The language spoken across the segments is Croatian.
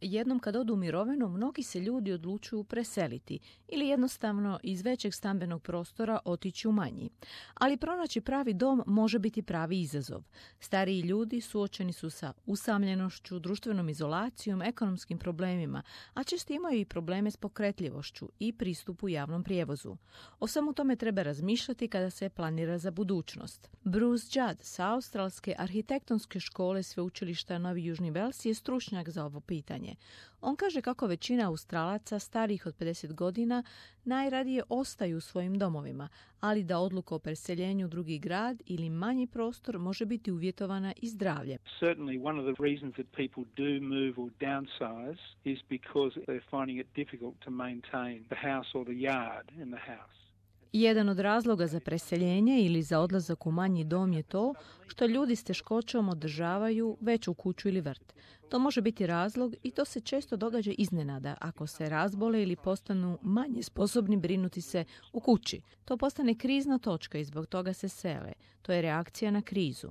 Jednom kad odu u mirovinu, mnogi se ljudi odlučuju preseliti ili jednostavno iz većeg stambenog prostora otići u manji. Ali pronaći pravi dom može biti pravi izazov. Stariji ljudi suočeni su sa usamljenošću, društvenom izolacijom, ekonomskim problemima, a često imaju i probleme s pokretljivošću i pristupu javnom prijevozu. O svemu tome treba razmišljati kada se planira za budućnost. Bruce Judd sa Australske arhitektonske škole sveučilišta Novi Južni Vels je stručnjak za ovo pitanje. On kaže kako većina Australaca starijih od 50 godina najradije ostaju u svojim domovima, ali da odluka o preseljenju u drugi grad ili manji prostor može biti uvjetovana i zdravljem. Certainly one of the reasons that people do move or downsize is because they're finding it difficult to maintain the house or the yard in the house. Jedan od razloga za preseljenje ili za odlazak u manji dom je to što ljudi s teškoćom održavaju veću kuću ili vrt. To može biti razlog i to se često događa iznenada ako se razbole ili postanu manje sposobni brinuti se u kući. To postane krizna točka i zbog toga se sele. To je reakcija na krizu.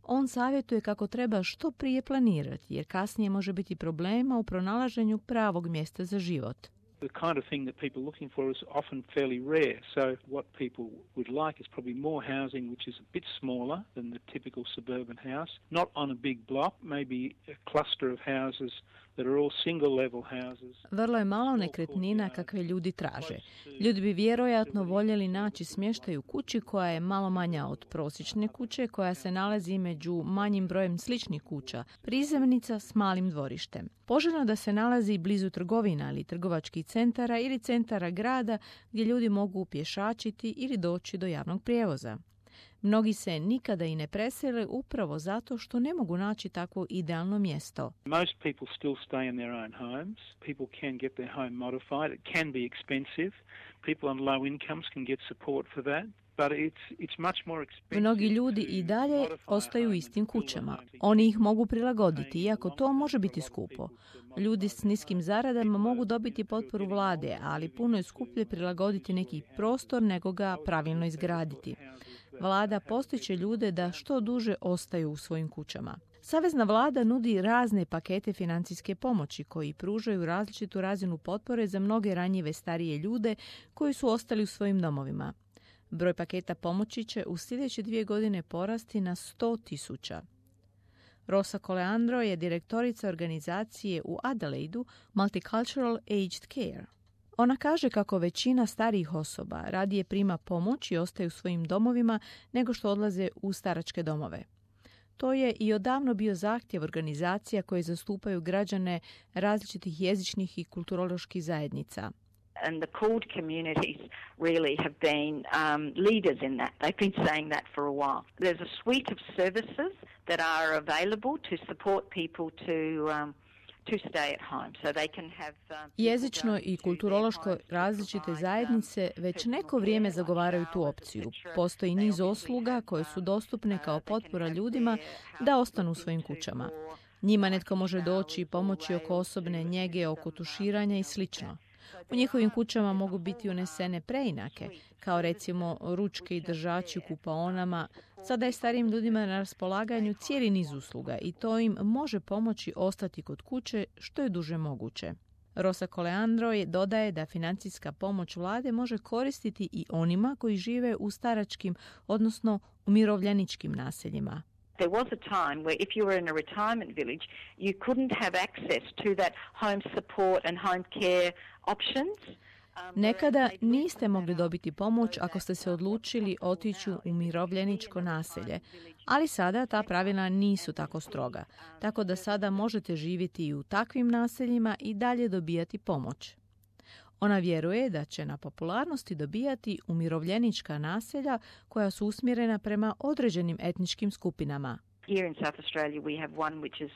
On savjetuje kako treba što prije planirati, jer kasnije može biti problema u pronalaženju pravog mjesta za život. The kind of thing that people are looking for is often fairly rare. So what people would like is probably more housing which is a bit smaller than the typical suburban house, not on a big block, maybe a cluster of houses that are all single level houses. Vrlo je malo nekretnina kakve ljudi traže. Ljudi bi vjerojatno voljeli naći smještaj u kući koja je malo manja od prosječne kuće, koja se nalazi među manjim brojem sličnih kuća, prizemnica s malim dvorištem. Poželjno da se nalazi blizu trgovina ili trgovačkih centara ili centara grada gdje ljudi mogu pješačiti ili doći do javnog prijevoza. Mnogi se nikada i ne presele upravo zato što ne mogu naći takvo idealno mjesto. Most people still stay in their own homes. People can get their home modified. It can be expensive. People on low incomes can get support for that. Mnogi ljudi i dalje ostaju u istim kućama. Oni ih mogu prilagoditi, iako to može biti skupo. Ljudi s niskim zaradama mogu dobiti potporu vlade, ali puno je skuplje prilagoditi neki prostor nego ga pravilno izgraditi. Vlada postiče ljude da što duže ostaju u svojim kućama. Savezna vlada nudi razne pakete financijske pomoći koji pružaju različitu razinu potpore za mnoge ranjive starije ljude koji su ostali u svojim domovima. Broj paketa pomoći će u sljedeće 2 godine porasti na 100,000. Rosa Coleandro je direktorica organizacije u Adelaidu Multicultural Aged Care. Ona kaže kako većina starijih osoba radije prima pomoć i ostaju u svojim domovima nego što odlaze u staračke domove. To je i odavno bio zahtjev organizacija koje zastupaju građane različitih jezičnih i kulturoloških zajednica. And the CALD communities really have been leaders in that. They've been saying that for a while. There's a suite of services that are available to support people to stay at home, so they can have jezično i kulturološko različite zajednice već neko vrijeme zagovaraju tu opciju. Postoji niz usluga koje su dostupne kao potpora ljudima da ostanu u svojim kućama. Njima netko može doći i pomoći oko osobne njege, oko tuširanja i slično. U njihovim kućama mogu biti unesene preinake, kao recimo ručke i držači u kupaonama. Sada je starijim ljudima na raspolaganju cijeli niz usluga i to im može pomoći ostati kod kuće što je duže moguće. Rosa Coleandro dodaje da financijska pomoć vlade može koristiti i onima koji žive u staračkim, odnosno umirovljeničkim naseljima. There was a time where if you were in a retirement village, you couldn't have access to that home support and home care options. Nekada niste mogli dobiti pomoć ako ste se odlučili otići u umirovljeničko naselje, ali sada ta pravila nisu tako stroga, tako da sada možete živjeti i u takvim naseljima i dalje dobijati pomoć. Ona vjeruje da će na popularnosti dobijati umirovljenička naselja koja su usmjerena prema određenim etničkim skupinama. Here in South Australia we have one which is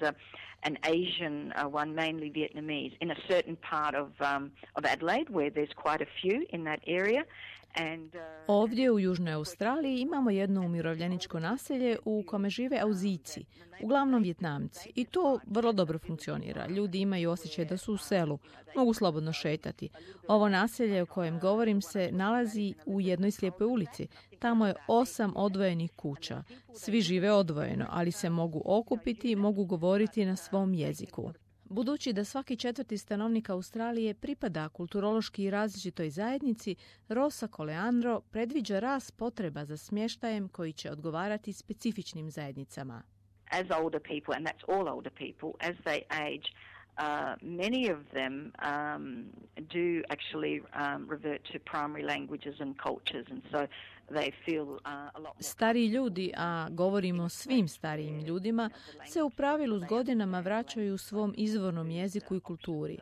an Asian one, mainly Vietnamese, in a certain part of Adelaide where there's quite a few in that area. Ovdje u Južnoj Australiji imamo jedno umirovljeničko naselje u kome žive Auzijci, uglavnom Vjetnamci. I to vrlo dobro funkcionira. Ljudi imaju osjećaj da su u selu, mogu slobodno šetati. Ovo naselje o kojem govorim se nalazi u jednoj slijepoj ulici. Tamo je 8 odvojenih kuća. Svi žive odvojeno, ali se mogu okupiti i mogu govoriti na svom jeziku. Budući da svaki četvrti stanovnik Australije pripada kulturološki različitoj zajednici, Rosa Coleandro predviđa rast potreba za smještajem koji će odgovarati specifičnim zajednicama. As older people, and that's all older people, as they age, many of them do actually revert to primary languages and cultures, and so they feel a lot more... Stariji ljudi, a govorimo o svim starijim ljudima, se u pravilu s godinama vraćaju svom izvornom jeziku i kulturi.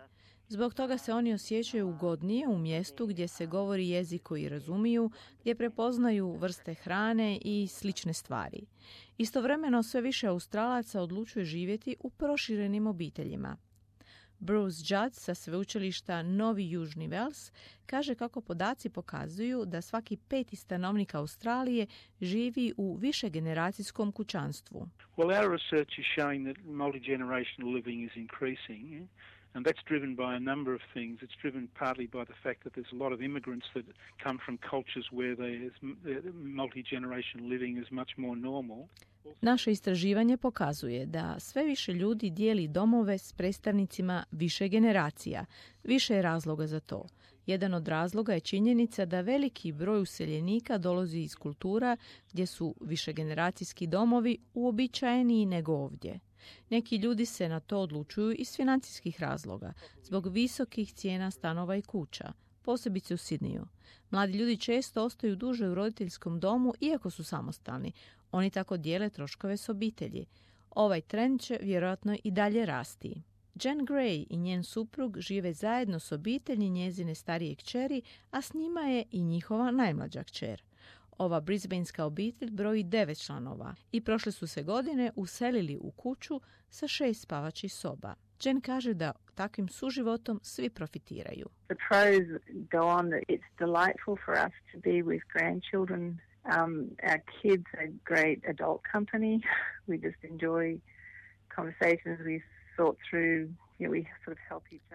Zbog toga se oni osjećaju ugodnije u mjestu gdje se govori jezik koji razumiju, gdje prepoznaju vrste hrane i slične stvari. Istovremeno sve više Australaca odlučuje živjeti u proširenim obiteljima. Bruce Judd sa sveučilišta Novi Južni Vels kaže kako podaci pokazuju da svaki 5. stanovnik Australije živi u višegeneracijskom kućanstvu. Well, our research is showing that multi-generational living is increasing. And that's driven by a number of things. It's driven partly by the fact that there's a lot of immigrants that come from cultures where multi-generational living is much more normal. Naše istraživanje pokazuje da sve više ljudi dijeli domove s predstavnicima više generacija. Više je razloga za to. Jedan od razloga je činjenica da veliki broj useljenika dolazi iz kultura gdje su višegeneracijski domovi uobičajeniji nego ovdje. Neki ljudi se na to odlučuju iz financijskih razloga, zbog visokih cijena stanova i kuća, posebice u Sidneju. Mladi ljudi često ostaju duže u roditeljskom domu iako su samostalni. Oni tako dijele troškove s obitelji. Ovaj trend će vjerojatno i dalje rasti. Jen Gray i njen suprug žive zajedno s obitelji njezine starije kćeri, a s njima je i njihova najmlađa kćer. Ova brisbanska obitelj broji 9 članova i prošle su se godine uselili u kuću sa 6 spavačih soba. Jen kaže da takvim suživotom svi profitiraju. The pros go on that it's delightful for us to be with grandchildren. Our kids are great adult company. We just enjoy conversations. We thought through.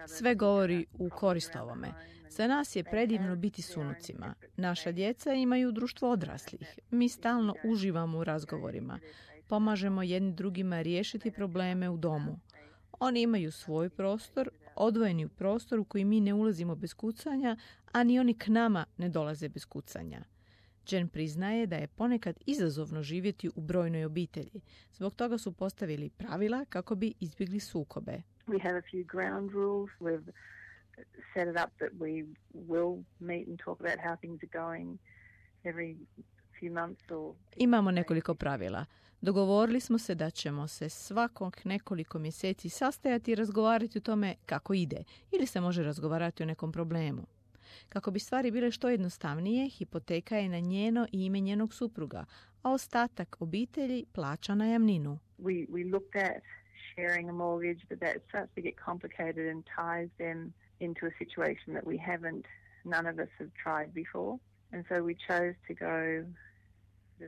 Sve govori u korist ovome. Za nas je predivno biti s unucima. Naša djeca imaju društvo odraslih. Mi stalno uživamo u razgovorima. Pomažemo jedni drugima riješiti probleme u domu. Oni imaju svoj prostor, odvojeni u prostor u koji mi ne ulazimo bez kucanja, a ni oni k nama ne dolaze bez kucanja. Jen priznaje da je ponekad izazovno živjeti u brojnoj obitelji. Zbog toga su postavili pravila kako bi izbjegli sukobe. We have a few ground rules. We've set it up that we will meet and talk about how things are going every few months or... Imamo nekoliko pravila. Dogovorili smo se da ćemo se svakog nekoliko mjeseci sastajati i razgovarati o tome kako ide ili se može razgovarati o nekom problemu. Kako bi stvari bile što jednostavnije, hipoteka je na njeno i ime njenog supruga, a ostatak obitelji plaća najamninu. We looked at sharing a mortgage, but that starts to get complicated and ties them into a situation that none of us have tried before. And so we chose to go...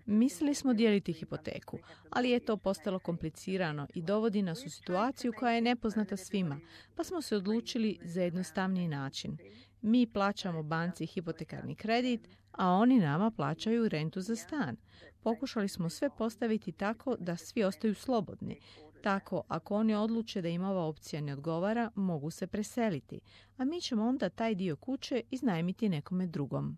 Mislili smo dijeliti hipoteku, ali je to postalo komplicirano i dovodi nas u situaciju koja je nepoznata svima, pa smo se odlučili za jednostavniji način. Mi plaćamo banci hipotekarni kredit, a oni nama plaćaju rentu za stan. Pokušali smo sve postaviti tako da svi ostaju slobodni. Tako, ako oni odluče da im ova opcija ne odgovara, mogu se preseliti, a mi ćemo onda taj dio kuće iznajmiti nekome drugom.